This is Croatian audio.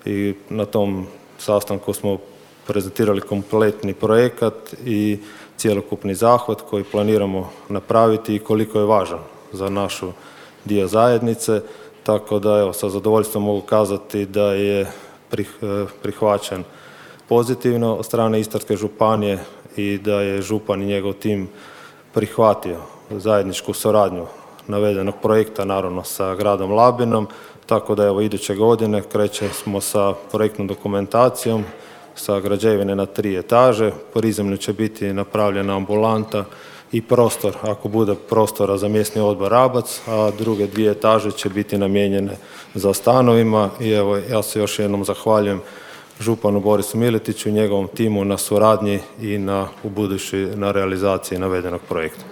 i na tom sastanku smo prezentirali kompletni projekat i cjelokupni zahvat koji planiramo napraviti i koliko je važan za našu dio zajednice. Tako da evo, sa zadovoljstvom mogu kazati da je prihvaćen pozitivno od strane Istarske županije i da je župan i njegov tim prihvatio zajedničku suradnju navedenog projekta, naravno sa gradom Labinom, tako da evo iduće godine krećemo sa projektnom dokumentacijom, sa građevine na 3 etaže, prizemlju će biti napravljena ambulanta i prostor, ako bude prostora za mjesni odbor Rabac, a druge 2 etaže će biti namijenjene za stanovima i evo ja se još jednom zahvaljujem županu Borisu Miletiću i njegovom timu na suradnji i ubuduće na realizaciji navedenog projekta.